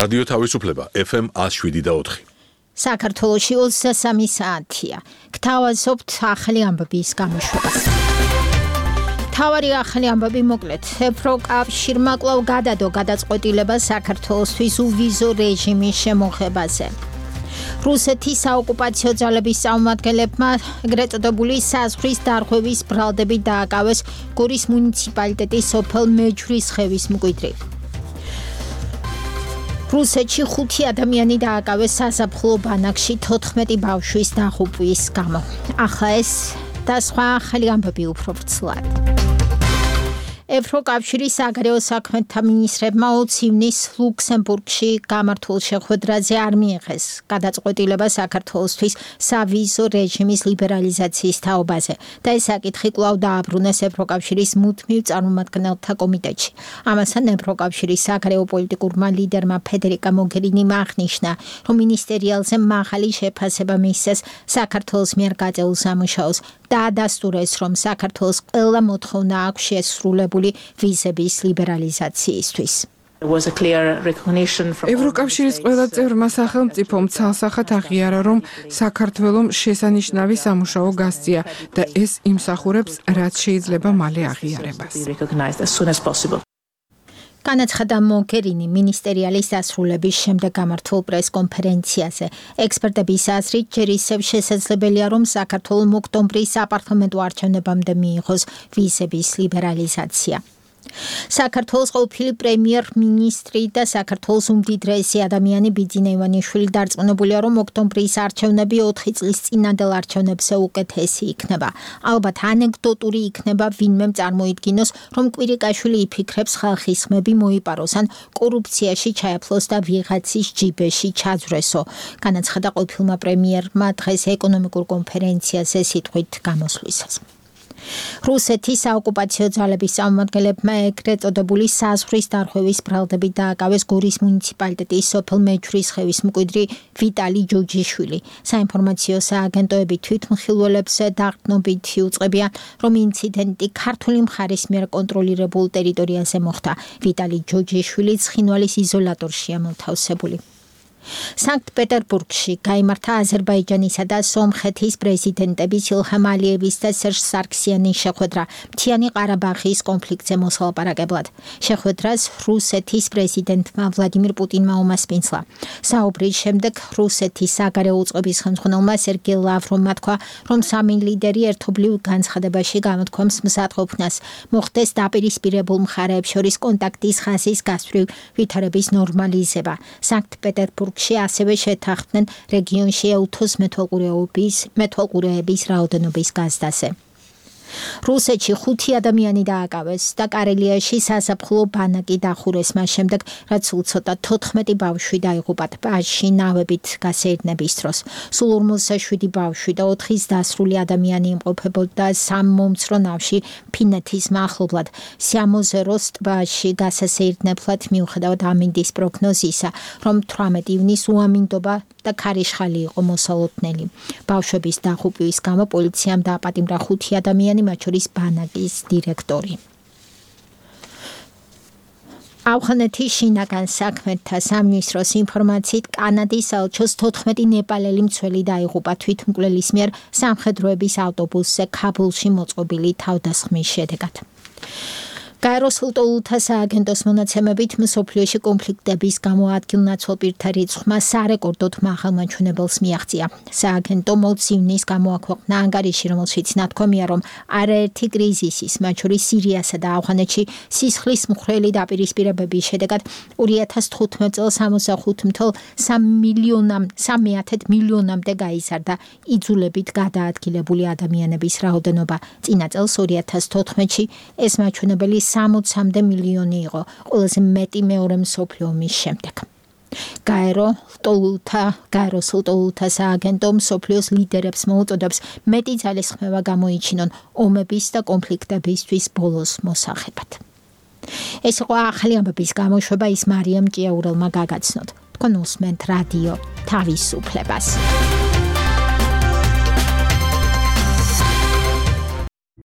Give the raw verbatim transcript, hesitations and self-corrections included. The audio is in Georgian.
რადიო თავისუფლება ეფ ემ ათს შვიდი და ოთხი. საქართველოში ოცდასამი საათია. გთავაზობთ ახალი ამბების გამოშვებას. მთავარი ახალი ამბები მოკლედ. ევროკავშირმა კვლავ გადადო გადაწყვეტილება საქართველოსთვის უვიზო რეჟიმის შემოღებაზე. რუსეთის საოკუპაციო ძალების წარმომადგენლებმა ეგრეთ წოდებული საზღვრის დარღვევის ბრალდებით დააკავეს გორის მუნიციპალიტეტის სოფელ მეჯვრისხევის მკვიდრი. რუსეთში ხუთი ადამიანი დააკავეს საზაფხულო ბანაკში თოთხმეტი ბავშვის დაღუპვის გამო. ახლა ეს და სხვა ახალი ამბები უფრო ვრცლად. ევროკავშირის საგარეო საქმეთა მინისტრებმა ოც ივნის ლუქსემბურგში გამართულ შეხვედრაზე არ მიიღეს გადაწყვეტილება საქართველოსთვის სავიზო რეჟიმის ლიბერალიზაციის თაობაზე და ეს საკითხი კვლავ დააბრუნეს ევროკავშირის მუდმივ წარმომადგენელთა კომიტეტში. ამასთან ევროკავშირის საგარეო პოლიტიკურმა ლიდერმა ფედერიკა მოგერინიმ აღნიშნა, რომ მინისტერიალზე მაღალი შეფასება მისცეს საქართველოს მიერ გაწეულ სამუშაოს და ადასტურეს, რომ საქართველოს ყველა მოთხოვნა აქვს შესრულებული ვიზების ლიბერალიზაციისთვის. ევროკავშირის ყველა წევრმა სახელმწიფომ ცალსახად აღიარა, რომ საქართველომ შესანიშნავი სამუშაო გასწია და ეს იმსახურებს, რაც შეიძლება მალე აღიარებას. განაცხადა მოგერინი მინისტერიალის დასრულების შემდეგ გამართულ პრეს-კონფერენციაზე. ექსპერტების აზრით, ჯერ ისევ შესაძლებელია, რომ საქართველოს ოქტომბრის საპარლამენტო არჩევნებამდე მიიღოს ვიზების ლიბერალიზაცია. საქართველოს ყოფილი პრემიერ-მინისტრი და საქართველოს უმდიდრესი ადამიანი ბიძინა ივანიშვილი დარწმუნებულია, რომ ოქტომბრის არჩევნები ოთხი წლის წინანდელ არჩევნებზე უკეთესი იქნება. ალბათ ანეკდოტური იქნება ვინმემ წარმოიდგინოს, რომ კვირიკაშვილი იფიქრებს ხალხის ხმები მოიპაროს ან კორუფციაში ჩაეფლოს და ვიღაცის ჯიბეში ჩაძვრესო. განაცხადა ყოფილმა პრემიერმა დღეს ეკონომიკურ კონფერენციაზე სიტყვით გამოსვლისას. რუსეთის საოკუპაციო ძალების წარმომადგენლებმა ეგრეთ წოდებული საზღვრის დარღვევის ბრალდებით დააკავეს გორის მუნიციპალიტეტის სოფელ მეჯვრისხევის მკვიდრი ვიტალი ჯოჯიშვილი. საინფორმაციო სააგენტოები თვითმხილველებს დაღდნობით იუწყებიან, რომ ინციდენტი ქართული მხარის მიერ კონტროლირებულ ტერიტორიაზე მოხდა. ვიტალი ჯოჯიშვილი ცხინვალის იზოლატორშია მოთავსებული. სანქტ-პეტერბურგში გაიმართა აზერბაიჯანისა და სომხეთის პრეზიდენტების ილჰამ ალიევის და სერჟ სარქსიანის შეხვედრა მთიანი ყარაბაღის კონფლიქტზე მოსალაპარაკებლად. შეხვედრას რუსეთის პრეზიდენტმა ვლადიმირ პუტინმა უმასპინძლა. საუბრის შემდეგ რუსეთის საგარეო უწყების ხელმძღვანელმა სერგეი ლავროვმა თქვა, რომ სამი ლიდერი ერთობლივ განცხადებაში გამოთქვამს მზადყოფნას მოხდეს დაპირისპირებულ მხარეებს შორის კონტაქტის ხაზის გასწვრივ ვითარების ნორმალიზება. სანქტ-პეტერბურგ ასევე შეთანხმდნენ რეგიონში ელთოს მეთვალყურეობის მეთვალყურეების რაოდენობის გაზრდაზე. რუსეთში ხუთი ადამიანი დააკავეს და კარელიაში საზაფხულო ბანაკი დახურეს მას შემდეგ, რაც უცოტა თოთხმეტი ბავშვი დაიღუპა ტბაში ნავებით გასეირნების დროს. სულ ორმოცდაშვიდი ბავშვი და ოთხის დასრული ადამიანი იმყოფებოდა სამ მომცრო ნავში ფინეთის მახლობლად. სიამოზეროს ტბაში გასასეირნებლად მიუხედავად ამინდის პროგნოზისა, რომ თვრამეტი ივნის უამინდობა და ქარიშხალი იყო მოსალოდნელი. ბავშვების დაღუპვის გამო პოლიციამ დააპატიმრა ხუთი ადამიანი, მათ შორის ბანაკის დირექტორი. ავღანეთის შინაგან საქმეთა სამინისტროს ინფორმაციით, კანადის საელჩოს თოთხმეტი ნეპალელი მცველი დაიღუპა თვითმკვლელის მიერ სამხედროების ავტობუსზე ქაბულში მოწყობილი თავდასხმის შედეგად. გაეროს ლტოლთა სააგენტოს მონაცემებით მსოფლიოში კონფლიქტების გამო ადგილნაცვალ პირთა რიცხვმა სარეკორდოდ მაღალ მაჩვენებელს მიაღწია. სააგენტომ ოც ივნის გამოაქვეყნა ანგარიში, რომელშიც ნათქვამია, რომ არაერთი კრიზისის, მათ შორის სირიასა და ავღანეთში სისხლის მხვრელი დაპირისპირებების შედეგად ორი ათას თხუთმეტ წელს ორმოცდახუთ ათას მილიონამდე გაიზარდა იძულებით გადაადგილებული ადამიანების რაოდენობა. წინა წელს ორი ათას თოთხმეტში ეს მაჩვენებელი სამოცამდე მილიონი იყო, ყველაზე მეტი მეორე მსოფლიო ომის შემდეგ. გაერო ლტოლთა გაეროს ლტოლთა სააგენტო მსოფლიოს ლიდერებს მოუწოდებს მეტი ძალისხმევა გამოიჩინონ ომების და კონფლიქტებისთვის ბოლოს მოსაღებად. ეს იყო ახალი ამბების გამოშვება, ის მარიამ ჭიაურელმა გაგაცნოთ. თქვენ უსმენთ რადიო თავისუფლებას.